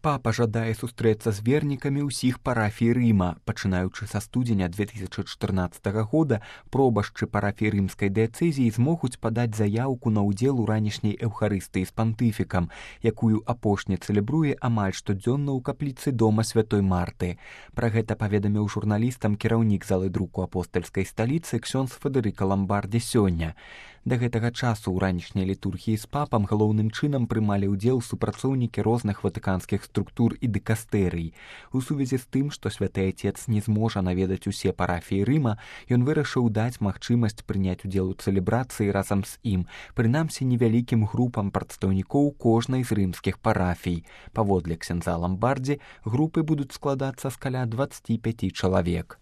Папа жадае сустрэцца з вернікамі ўсіх парафій Рыма. Пачынаючы са студзеня 2014 года пробашчы парафій рымскай дыяцэзіі змогуць падаць заяўку на ўдзел у ранішняй эўхарыстыі з пантыфікам, якую апошні цэлебруе амаль штодзённа ў капліцы дома святой Марты. Пра гэта паведаміў журналістам кіраўнік залы друку апостальскай сталіцы ксёндз Федэрыка Ламбардзі сёння. Да гэтага часу ў ранішняй літургіі з папам галоўным чынам прымалі ўдзел супрацоўнікі розных ватыканскіх структур і дыкастэрый. У сувязі з тым, што святы Отец не зможа наведаць усе парафіі Рыма, ён вырашыў даць магчымасць прыняць удзел у цэлебрацыі разам з ім, прынамсі невялікім групам прадстаўнікоў кожнай з рымскіх парафій. Паводле ксяндза Ламбардзі, групы будуць складацца з каля 25 чалавек.